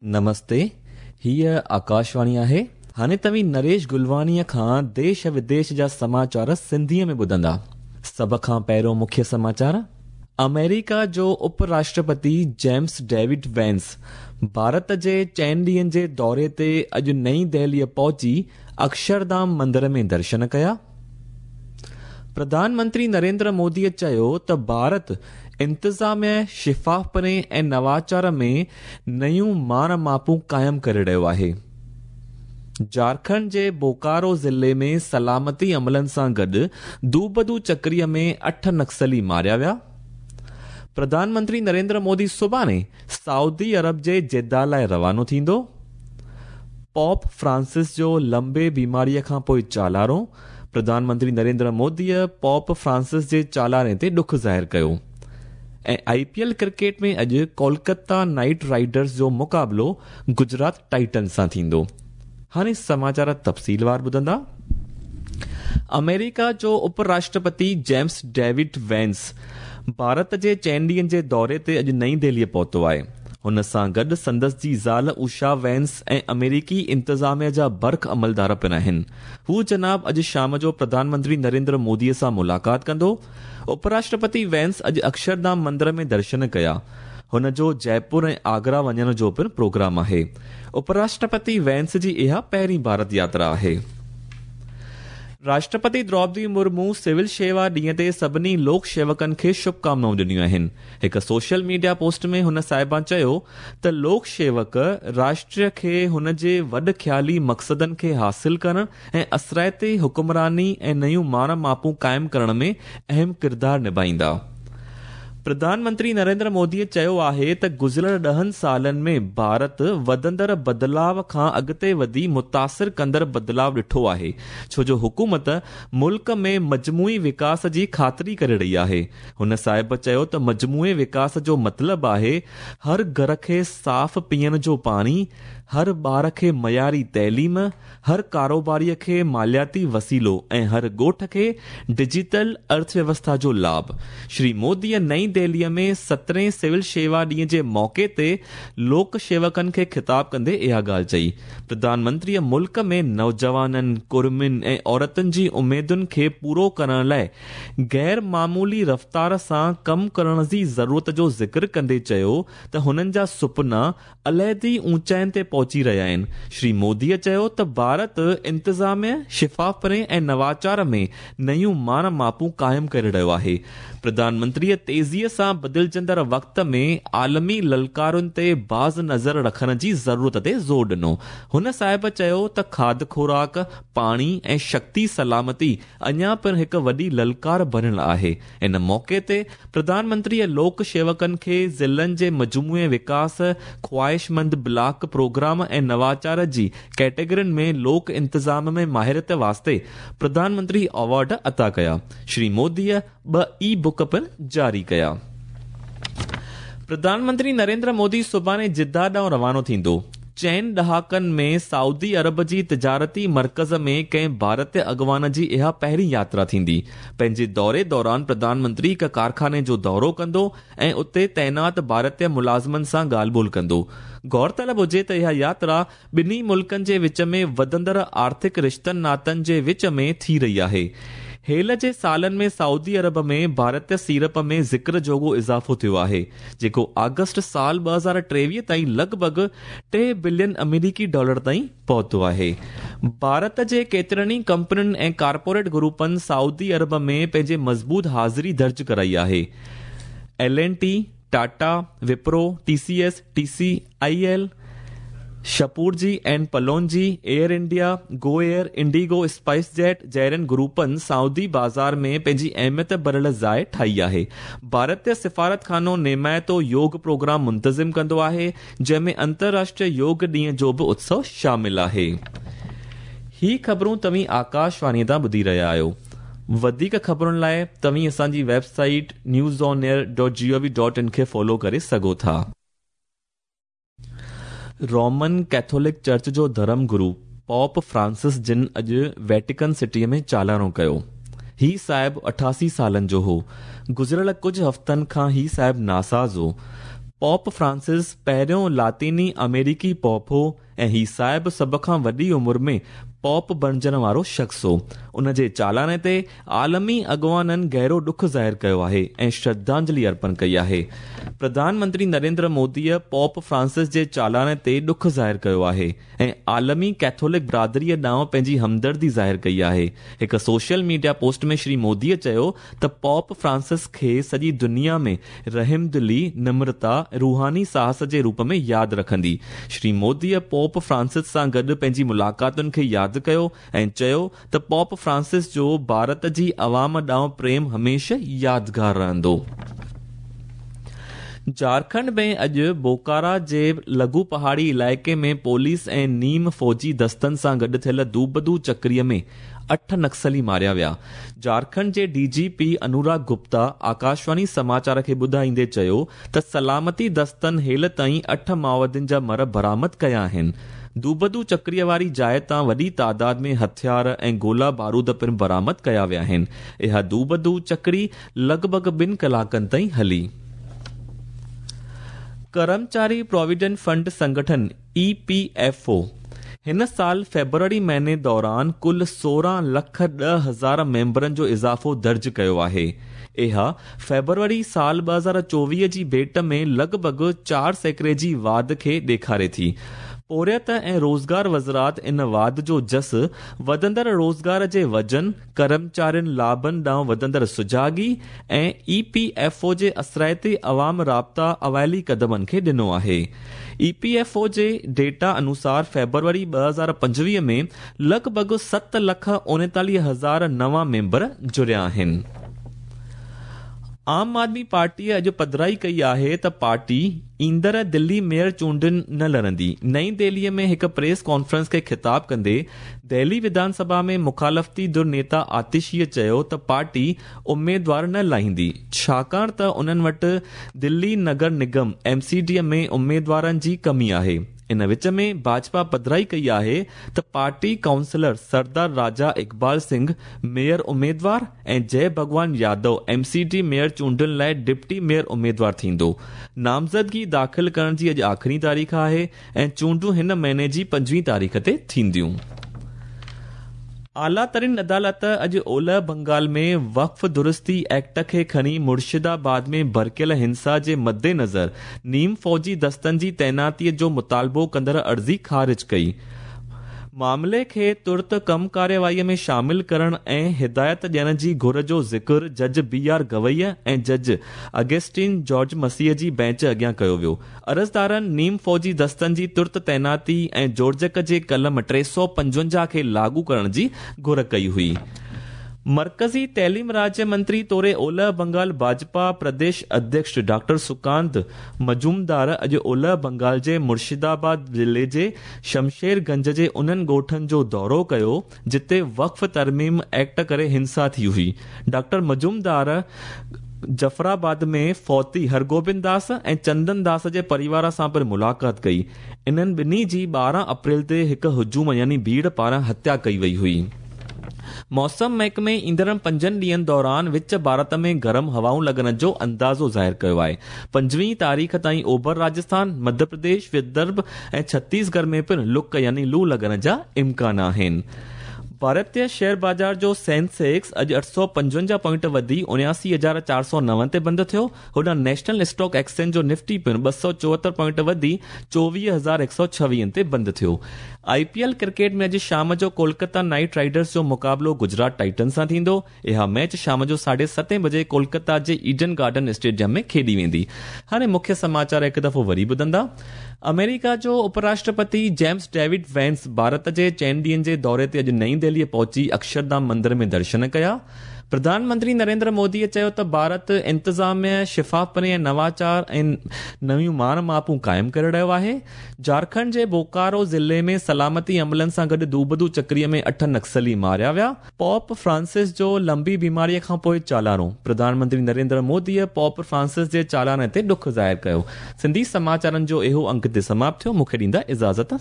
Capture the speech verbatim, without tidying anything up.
نمستي، هيء آڪاشواڻي آهي. هاڻي توهين نريش گلواڻيء کان ديش وديش جا سماچار سنڌيء ۾ ٻڌندا. سڀ کان پهريون مکيه سماچار. آمريڪا جو اپ راشٽرپتي جيمس ڊيوڊ وينس ڀارت جي چئن ڏينهن جي دوري تي اڄ نئين دهليء پهچي اڪشرڌام مندر ۾ درشن ڪيا. پرڌان منتري نريندر موديء چيو ته ڀارت انتظاميه، شفافپڻي ۽ نواچار ۾ نيون ماڻ ماپون قائم ڪري رهيو آهي. جهارکنڊ جي بوڪارو ضلعي ۾ سلامتي عملن سان گڏ دوبدو چڪريء ۾ اٺ نڪسلي ماريا ويا. پرڌان منتري نريندر مودي سڀاڻي سعودي عرب جي جده لاءِ روانو ٿيندو. پوپ فرانسس جو لمبي بيماريءَ کان پوءِ چالارو. پرڌان منتري نريندر موديءَ پوپ فرانسس جي چالاري تي ڏک ظاهر ڪيو. ۽ آئي پي ايل ڪرڪيٽ ۾ اڄ ڪولڪتا نائيٽ رائيڊرز جو مقابلو گجرات ٽائٽنز سان ٿيندو. هاڻي سماچار تفصيلوار ٻڌندا. آمريڪا جو اپ راشٽرپتي جيمس ڊيوڊ وينس ڀارت جي چئن ڏينهن جي دوري تي اڄ نئين دهليءَ پهتو آهي. هن سان گڏ سندس جي زال اوشا وينس ۽ آمريڪي انتظاميه جا برک عملدار پڻ آهن. هو جناب اڄ شام جو پرڌان منتري نريندر موديءَ سان ملاقات ڪندو. اپ راشٽرپتي وينس اڄ اڪشرڌام مندر ۾ درشن ڪيا. هن جو جئپور ۽ آگرا وڃڻ جو پڻ پروگرام آهي. اپ راشٽرپتي وينس جي اها پهرين ڀارت ياترا آهي. راشٽرپتي دروپدي مرمو سول شيوا ڏينهن تي سڀني لوڪ شيوڪن کي شڀڪامنائون ڏنيون آهن. هڪ سوشل ميڊيا پوسٽ ۾ هن صاحبان چيو ته لوڪ شيوڪ راشٽر کي هن جي وڏ خيالي مقصدن کي حاصل ڪرڻ ۽ اثرائتي حڪمراني ۽ نيون ماڻ ماپون قائم ڪرڻ ۾ اهم ڪردار نڀائيندا. پرڌان منتري نريندر موديءَ چيو آهي ته گذريل ڏهن سالن ۾ ڀارت وڌندڙ بدلاءُ کان اڳتي وڌي متاثر ڪندڙ بدلاءُ ڏٺو آهي، ڇو جو حڪومت ملڪ ۾ مجموعي وڪاس جي خاطري ڪري رهي آهي. هن صاحب چيو ته مجموعي وڪاس جو مطلب آهي هر گهر کي صاف پيئڻ جو پاڻي، هر ٻار کي معياري تعليم، هر ڪاروباريءَ کي مالياتي وسيلو ۽ هر ڳوٺ کي ڊجيٽل ارٿويوسٿا جو لاڀ. شري موديءَ نئين دهليءَ ۾ سترهين سول شيوا ڏينهن جي موقعي تي لوڪ شيوڪن کي خطاب ڪندي اها ڳالهه چئي. پرڌان منتريءَ ملڪ ۾ نوجوانن، ڪڙمين ۽ عورتن جي اميدن کي پورو ڪرڻ لاءِ غير معمولي رفتار سان ڪم ڪرڻ جي ضرورت جو ذڪر ڪندي چيو ته هنن جا سپنا عليحدي اوچائين تي پهچي رهيا آهن. شري موديءَ چيو ته ڀارت انتظاميه، شفافپڻي ۽ نواچار ۾ نيون ماڻ ماپون قائم ڪري رهيو آهي. پرڌان منتريءَ تيزيءَ سان بدلجندڙ وقت ۾ عالمي للڪارن تي باز نظر رکڻ جي ضرورت تي زور ڏنو. هن صاحب چيو ته کاڌ خوراڪ، پاڻي ۽ شڪتي سلامتي اڃا پڻ هڪ وڏي للڪار بڻيل آهي. ان موقعي تي پرڌان منتريءَ لوڪ شيوڪن کي ضلعن جي مجموعي وڪاس، خواهشمند بلاڪ پروگرام ۽ نواچار جي ڪيٽيگرين ۾ لوڪ انتظام ۾ ماهريت واسطي پرڌان منتري ايوارڊ عطا ڪيا. شري موديءَ ٻه اي بڪ پڻ جاري ڪيا. پرڌان منتري نريندر مودي سڀاڻي جده ڏانهن روانو ٿيندو. چئن ڏهاڪن ۾ سعودي عرب جي تجارتي مرڪز ۾ ڪنهن ڀارتيه اڳواڻ جي اها پهرين ياترا ٿيندي. پنهنجي دوري دوران پرڌان منتري هڪ ڪارخاني جو دورو ڪندو ۽ اتي تعينات ڀارتيه ملازمن سان ڳالهه ٻولهه ڪندو. غور طلب هجي ته اها ياترا ٻنهي ملڪن جي وچ ۾ وڌندڙ آرٿڪ رشتن ناتن جي وچ ۾ ٿي رهي آهي. هيل جي سالن ۾ سعودي عرب ۾ ڀارتيه سيڙپ ۾ ذڪر جوڳو اضافو ٿيو آهي، جيڪو آگسٽ سال ٻه هزار ٽيويهه تائين لڳ ڀڳ ٽي بلين آمريڪي ڊالر تائين پهتو آهي. ڀارت جي ڪيترن ئي ڪمپنين ۽ ڪارپوريٽ گروپن سعودي عرب ۾ پنهنجي مضبوط حاضري درج ڪرائي آهي. L N T, Tata, Wipro, T C S, T C I L, Shapoorji and Pallonji, Air India, Go Air, IndiGo, SpiceJet جهڙن گروپن سعودي بازار ۾ پنهنجي اهميت ڀريل جاءِ ٺاهي آهي. ڀارتيه سفارتخانو نيمائتو يوگ پروگرام منتظم ڪندو آهي، جنهن ۾ انترراشٽريه يوگ ڏينهن جو به اتسو شامل آهي. هي خبرون توهين آڪاشواڻيءَ تان ٻڌي رهيا آهيو. وڌيڪ خبرن لاءِ توهين اسان جي website news on air dot G O V dot in کي فالو ڪري سگهو ٿا. رومن ڪيٿولڪ چرچ جو ڌرم گرو پوپ فرانسس جن اڄ ويٽيڪن سٽيءَ ۾ چالانو ڪيو. هي صاحب اٺاسي سالن جو هو. گذريل ڪجهه هفتن کان هي صاحب ناساز هو. پوپ فرانسس पहिरियों लातिनी अमेरिकी पॉप हो ऐं ही साहिब सभ खां वॾी उमिरि में पॉप बणजण वारो शख़्स हो। उन जे चालाने ते आलमी अॻवाननि गहिरो ॾुख ज़ाहिर कयो आहे ऐं श्रद्धांजलि अर्पण कई आहे। प्रधानमंत्री नरेंद्र मोदीअ पॉप फ्रांसिस जे चालाने ते ॾुख ज़ाहिर कयो आहे ऐं आलमी कैथोलिक बिरादरीअ ॾांहुं पंहिंजी हमदर्दी ज़ाहिर कई आहे। हिकु सोशल मीडिया पोस्ट में श्री मोदीअ चयो त पॉप फ्रांसिस खे सॼी दुनिया में रहमदिली, नम्रता, रूहानी साहस जे रूप में यादि रखंदी। श्री मोदीअ पॉप फ्रांसिस सां गॾु पंहिंजी मुलाक़ातुनि खे यादि कयो ऐं चयो त पॉप फ्रांसिस जो भारत जी अवाम ॾांहुं प्रेम हमेशह यादगार रहंदो। झारखंड में अॼु बोकारा जे लघु पहाड़ी इलाइक़े में पुलिस ऐं नीम फौजी दस्तनि सां गॾु थियल दूबदू चक्रीअ में अठ नक्सली मारिया विया। झारखंड जे डीजीपी अनुराग गुप्ता आकाशवाणी समाचार खे ॿुधाईंदे चयो त सलामती दस्तनि हेल ताईं अठ माओवादियुनि जा मर बरामद कया आहिनि। दूबदू चक्रीअ वारी जाइ तां वॾी तादाद में हथियार ऐं गोला बारूद पिणु बरामद कया विया आहिनि। इहा दूबदू चक्री लॻभॻि ॿिनि कलाकनि ताईं हली। कर्मचारी प्रोविडेंट फंड संगठन ई पी एफ ओ हिन साल फेब्रुअरी महीने दौरान कुल सोरहं लख ॾह हज़ार मेंबरनि जो इज़ाफ़ो दर्ज कयो आहे। इहा फेब्रुअरी साल ॿ हज़ार चोवीह जी भेंट में लॻभॻि चारि सैकड़े जी वाध खे ॾेखारे थी। पोरियत ऐं रोज़गार वज़ारत इन वाध जो जस वधंदड़ रोज़गार जे वज़न, कर्मचारियुनि लाभनि ॾांहुं वधंदड़ सुजागी ऐं ई पी एफ ओ जे असराइते अवाम राब्ता अवाइली कदमनि खे ॾिनो आहे। ई पी एफ ओ जे डेटा अनुसार फेब्रुअरी ॿ हज़ार पंजवीह में लॻभॻि सत लख उणेतालीह हज़ार नवां मेंबर जुड़िया आहिनि। आम आदमी पार्टीअ अॼु पधराई कई आहे त पार्टी ईंदड़ दिल्ली मेयर चूंडुनि न लड़ंदी। नई दिल्लीअ में हिकु प्रेस कॉन्फ्रेंस खे ख़िताब कंदे दिल्ली विधानसभा में मुखालफ़ती धुर नेता आतिशीअ चयो त पार्टी उमेदवार न लाहींदी, छाकाणि त उन्हनि वटि दिल्ली नगर निगम एम सी डी में उमेदवारनि जी कमी आहे। इन विच में भाजपा पधराई कई आहे त party councillor Sardar Raja Iqbal Singh mayor उमेदवार ऐं Jai Bhagwan Yadav M C D mayor चूंडुनि लाइ डिप्टी मेयर उमेदवार थींदो। नामज़दगी दाख़िल करण जी अॼु आख़िरी तारीख़ आहे ऐं चूंडूं हिन महीने जी पंजवीह तारीख़ ते थींदियूं। आला तरीन अदालत अॼु ओलह बंगाल में वक़्फ़ दुरुस्ती एक्ट खे खणी मुर्शिदाबाद में भड़कियल हिंसा जे मद्देनज़र नीम फौजी दस्तनि जी तैनातीअ जो मुतालबो कंदड़ अर्ज़ी ख़ारिज कई। मामले खे तुर्त कम कार्यवाहीअ में शामिल करण ऐं हिदायत ॾियण जी घुर जो ज़िक्र जज बी are Gavai ऐं जज अगस्टीन जॉर्ज मसीह जी बेंच अॻियां कयो वियो। अर्ज़दारनि नीम फौजी दस्तनि जी तुर्त तैनाती ऐं जोड़जक जे कलम टे सौ पंजवंजाह खे लागू करण जी घुर कई हुई। मरकज़ी तैलीम राज्य मंत्री तौर ओलह बंगाल भाजपा प्रदेश अध्यक्ष डॉक्टर सुकांत मजूमदार अॼु ओलह बंगाल जे मुर्शिदाबाद ज़िले जे शमशेरगंज जे उन्हनि ॻोठनि जो दौरो कयो जिते वक़्फ़ तरमीम एक्ट करे हिंसा थी हुई। डॉक्टर मजूमदार जफराबाद में फौती हरगोबिंद दास ऐं चंदन दास जे परिवार सां पिणु मुलाक़ात कई। इन्हनि ॿिन्ही जी ॿारहं अप्रैल ते हिकु हुजूम यानी भीड़ पारां हत्या कई वई हुई। मौसम महकमे ईंदड़ पंजनि ॾींहनि दौरान विच भारत में गरम हवाऊं लॻण जो अंदाज़ो ज़ाहिर कयो आहे। पंजवीह तारीख़ ताईं ओभर राजस्थान, मध्य प्रदेश, विदर्भ ऐं छत्तीसगढ़ में पिणु लुक यानी लू लॻण जा इम्कान आहिनि। भारतीय शेयर बाज़ार जो सेंसेक्स अॼु अठ सौ पंजवंजाह पॉइंट वधी उणासी हज़ार चारि सौ नव ते बंदि थियो। होॾां नेशनल स्टॉक एक्सचेंज जो निफ्टी पिणु ॿ सौ चोहतरि पॉइंट वधी चोवीह हज़ार हिकु सौ छवीहनि ते बंदि थियो। I P L cricket में अॼु शाम जो कोलकाता नाइट राइडर्स जो मुक़ाबिलो गुजरात टाइटन सां थींदो। इहा मैच शाम जो साढे सतें बजे कोलकाता जे ईडन गार्डन स्टेडियम में खेॾी वेंदी। हाणे मुख्य समाचार हिकु दफ़ो वरी ॿुधंदा। अमेरिका जो उपराष्ट्रपति जेम्स डेविड वेंस भारत जे चइनि ॾींहनि जे दौरे ते अॼु नई दिल्लीअ पहुची अक्षरधाम मंदिर में दर्शन कया। प्रधानमंत्री नरेंद्र मोदीअ चयो त भारत इंतज़ामिया, शफ़ाफ़पणे ऐं नवाचार ऐं नवियूं मान मापूं क़ाइमु करे रहियो आहे। झारखंड जे बोकारो ज़िले में सलामती अमलनि सां गॾु दूबदू चक्रीअ में अठ नक्सली मारिया विया। पॉप फ्रांसिस जो लंबी बीमारीअ खां पोइ चालाणो। प्रधानमंत्री नरेंद्र मोदीअ पॉप फ्रांसिस जे चालाणे ते ॾुख ज़ाहिर कयो। सिंधी समाचारनि जो इहो अंक ते समाप्त थियो। मूंखे ॾींदा इजाज़त।